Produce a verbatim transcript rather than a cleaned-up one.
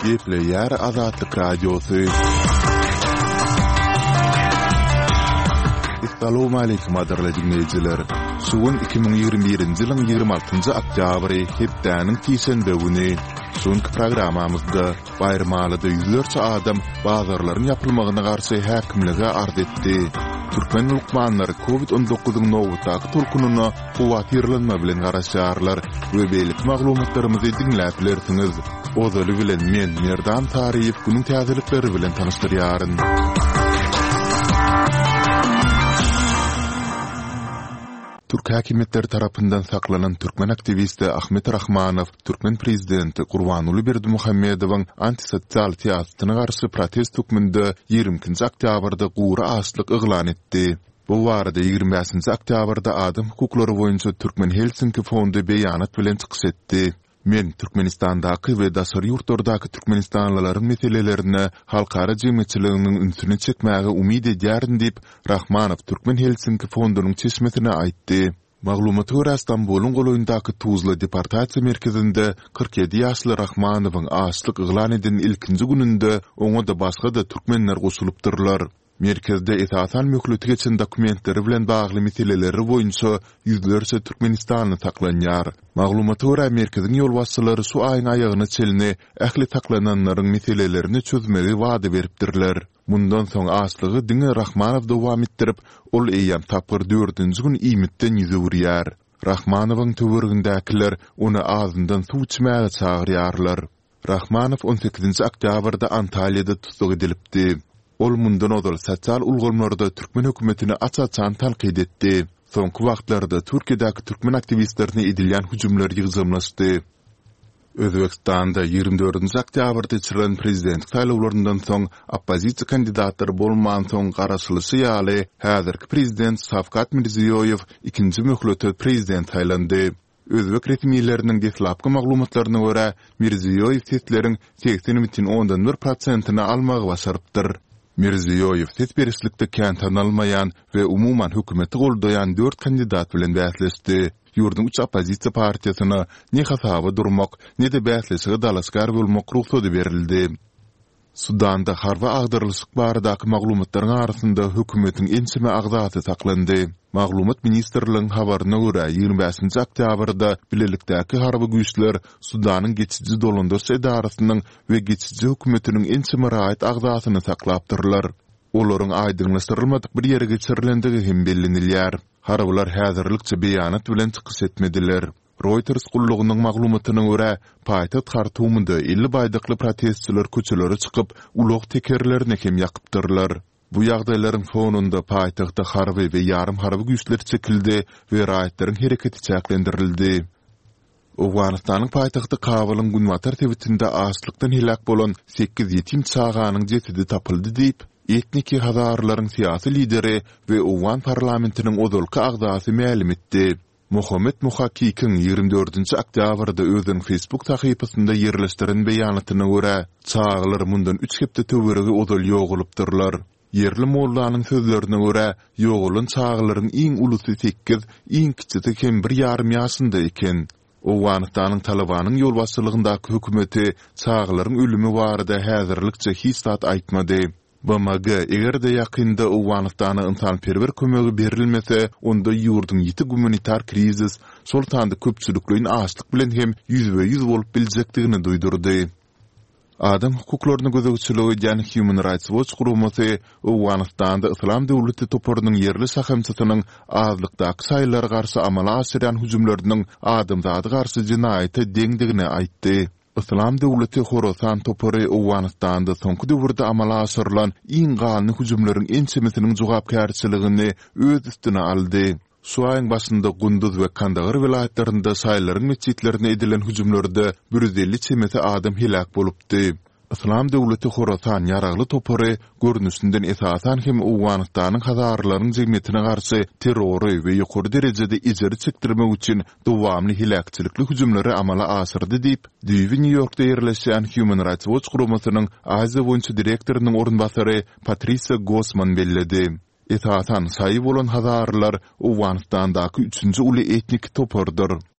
Gepleýär Azatlyk Radiosy. Essalawmaleýkim gadyrly diňleýjiler! Şu gün iki müň ýigrimi birinji ýylyň ýigrimi altynjy oktýabry, hepdäniň sişenbe güni. Şu günki programmamyzda Baýramalyda ýüzlerçe adam bazarlaryň ýapylmagyna garşy häkimlige arz etdi. Türkmen lukmanlary Covid on dokuzyň nobatdaky tolkunyna howatyrlanma bilen garaşýarlar we beýleki maglumatlarymyzy diňläp bilersiňiz. Ozaly bilen men, Merdan Saryýew günüň täzelikleri bilen tanyşdyrýaryn. Türk häkimiýetleri tarapyndan saklanan türkmen aktiwisti Ahmet Rahmanow türkmen prezidenti Gurbanguly Berdimuhamedowyň antisosial syýasatyna garşy protest hökmünde ýigrimi ikinji oktýabrda gury açlyk yglan etdi. Bu barada ýigrimi bäşinji oktýabrda Adam hukuklary boýunça Türkmen Helsinki fondy beýanat bilen çykyş etdi. Men Türkmenistandaky we daşary ýurtlardaky türkmenistanlylaryň meselelerine halkara jemgyýetçiliginiň ünsüni çekmäge umyt edýärin diýip, Rahmanow Türkmen Helsinki fondunyň çeşmesine aýtdy. Maglumata görä, Stambulyň golaýyndaky Tuzla deportasiýa merkezinde kyrk ýedi ýaşly Rahmanowyň açlyk yglan eden ilkinji gününde oňa-da başga-da türkmenler goşulypdyrlar. Merkezde esasan möhleti geçen dokumentleri bilen bagly meseleleri boýunça ýüzlerçe türkmenistanly saklanýar. Maglumata görä, merkeziň ýolbaşçylary şu aýyň aýagyna çenli ähli saklananlaryň meselelerini çözmegi wada beripdirler. Mundan soň açlygy diňe Rahmanow dowam etdirip, ol eýýäm tapgyr dördünji gün iýmitden ýüz öwürýär. Rahmanowyň töweregindäkiler ony azyndan suw içmäge çagyrýarlar. Rahmanow on sekizinji oktýabrda Antalýada tussag edilipdi. Ol mundan ozal sosial ulgamlarda türkmen hökümetini aç-açan tankyt etdi. Soňky wagtlarda Türkiýedäki türkmen aktiwistlerine edilýän hüjümler ýygjamlaşdy. Özbegistanda ýigrimi dördünji oktýabrda geçirilen prezidentlik saýlawlaryndan soň oppozisiýa kandidatlary bolmansoň garaşylyşy ýaly häzirki prezident Şawkat Mirziýoýew ikinji möhlete prezident saýlandy. Özbek resmileriniň deslapky maglumatlaryna görä, Mirziýoýew sesleriň segsen bütin ondan bir prosentini almagy başarypdyr. Mirziýoýew ses berişlikde kän tanalmaýan we umuman hökümeti goldaýan dört kandidat bilen bäsleşdi. Ýurduň üç oppozisiýa partiýasyna ne hasaba durmak, ne-de bäsleşige dalaşgär bolmak rugsady berildi. Sudanda harby agdarylyşyk baradaky maglumatlaryň arasynda hökümetiň ençeme agzasy saklandy. Maglumat ministrligiň habaryna görä, ýigrimi bäşinji oktýabrda bilelikdäki harby güýçler Sudanyň geçiji dolandyryş edarasynyň we geçiji hökümetiniň ençeme raýat agzasyny saklapdyrlar. Olaryň aýdyňlaşdyrylmadyk bir ýere geçirilendigi hem bellenilýär. Harbylar häzirlikçe beýanat bilen çykyş etmediler. Reuters gullugynyň maglumatyna görä, paýtagt Hartumda elli baýdakly protestçiler köçelere çykyp, ulag tekerlerini hem ýakypdyrlar. Bu ýagdaýlaryň fonunda paýtagta harby we ýarym harby güýçler çekildi we raýatlaryň hereketi çäklendirildi. Owganystanyň paýtagty Kabulyň günbatar sebitinde açlykdan heläk bolan sekiz ýetim çaganyň jesedi tapyldy diýip, etniki hazarlaryň syýasy lideri we owgan parlamentiniň ozalky agzasy mälim etdi. Mohammed Muhakikiň ýigrimi dördünji oktýabrda özüniň Facebook sahypasynda ýerleşdiren beýanatyna görä, çagalar mundan üç hepde töweregi ozal ýogalypdyrlar. Ýerli mollanyň sözlerine görä, ýogalan çagalaryň iň ulusy sekiz, iň kiçisi hem bir ýarym ýaşynda eken. Owganystanyň Talybanyň ýolbaşçylygyndaky hökümeti çagalaryň ölümi barada häzirlikçe hiç zat aýtmady. B M G, eger-de ýakynda Owganystana ynsanperwer kömegi berilmese, onda ýurduň ýiti gumanitar krizis, şol sanda köpçülikleýin açlyk bilen hem ýüzbe-ýüz bolup biljekdigini duýdurdy. Adam hukuklaryna gözegçilik edýän Human Rights Watch guramasy Owganystanda Yslam döwleti toparynyň ýerli şahamçasynyň azlykdaky şaýylara garşy amala aşyrýan hüjümleriniň adamzada garşy jenaýata deňdigini aýtdy. Yslam döwleti Horasan topary Owganystanda soňky döwürde amala aşyrylan iň ganly hüjümleriň ençemesiniň jogapkärçiligini öz üstüne aldy. Şu aýyň başynda Gunduz we Kandahar welaýatlarynda şaýylaryň metjitlerine edilen hüjümlerde bir ýüz elli çemesi adam heläk bolupdy. Yslam döwleti Horasan ýaragly topary görnüşinden esasan hem Owganystanyň hazaralaryň jemgyýetine garşy terrory we ýokary derejede ejir çekdirmek üçin dowamly heläkçilikli hüjümleri amala aşyrdy diýip, düýbi Nýu-Ýorkda ýerleşýän Human Rights Watch guramasynyň Aziýa boýunça direktorynyň orunbasary Patrisiýa Gossman belledi. Esasan şaýy bolan hazaralar Owganystandaky üçünji uly etnik topardyr.